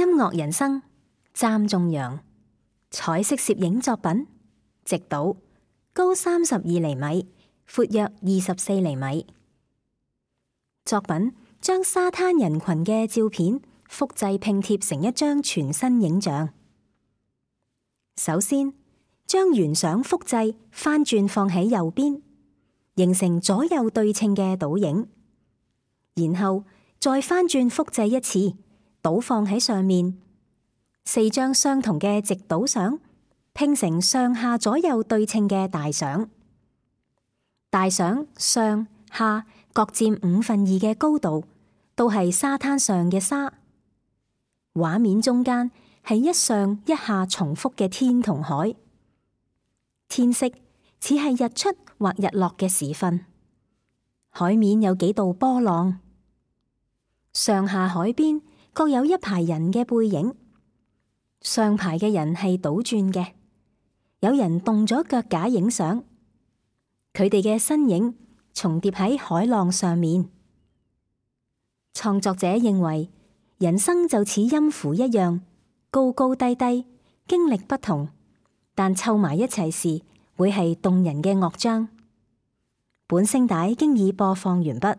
音樂人生，湛仲揚。彩色攝影作品，直島，高32厘米，闊約24厘米。作品將沙灘人群嘅照片複製拼貼成一張全新影像。首先，將原相複製翻轉放喺右邊，形成左右對稱嘅倒影，然後再翻轉複製一次，倒放喺上面。4張相同嘅直島相拼成上下左右對稱嘅大相。大相上下各佔2/5嘅高度，都係沙灘上嘅沙。畫面中間係一上一下重複嘅天同海。天色似係日出或日落嘅時分。海面有幾道波浪。上下海邊各有一排人嘅背影。上排嘅人係倒轉嘅，有人動咗腳架影相。佢哋嘅身影重疊喺海浪上面。創作者認為，人生就似音符一樣，高高低低，經歷不同，但湊埋一齊時會係動人嘅樂章。本聲帶經已播放完畢。